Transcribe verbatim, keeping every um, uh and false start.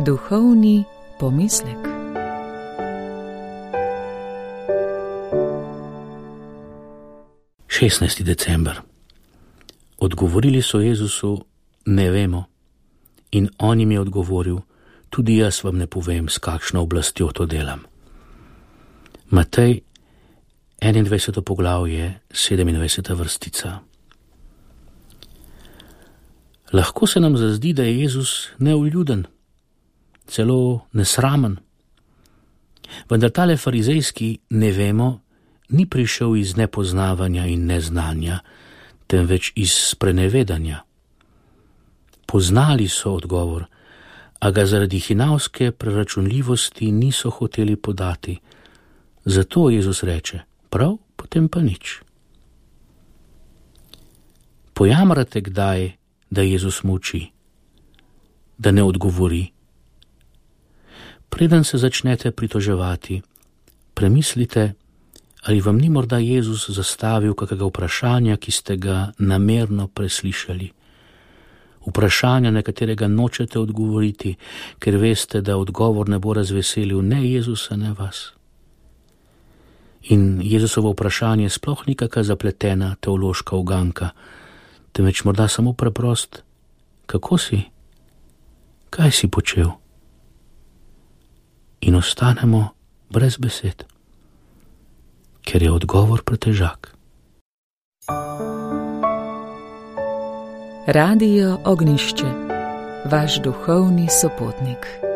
Duhovni pomislek. šestnajsti december. Odgovorili so Jezusu: ne vemo. In on jim je odgovoril: tudi jaz vam ne povem, s kakšno oblastjo to delam. Matej, enaindvajseto poglavje, sedemindvajseta vrstica. Lahko se nam zazdi, da je Jezus neuljuden, celo nesramen. Vendar tale farizejski ne vemo ni prišel iz nepoznavanja in neznanja, temveč iz sprenevedanja. Poznali so odgovor, a ga zaradi hinavske preračunljivosti niso hoteli podati. Zato Jezus reče: prav, potem pa nič. Pojamrate kdaj, da Jezus molči, da ne odgovori? Preden se začnete pritoževati, premislite, ali vam ni morda Jezus zastavil kakega vprašanja, ki ste ga namerno preslišali. Vprašanja, na katerega nočete odgovoriti, ker veste, da odgovor ne bo razveselil ne Jezusa, ne vas. In Jezusovo vprašanje sploh ni kakšna zapletena teološka uganka, temveč morda samo preprost: kako si? Kaj si počel? In ostanemo brez besed, ker je odgovor pretežak. Radio Ognjišče, vaš duhovni sopotnik.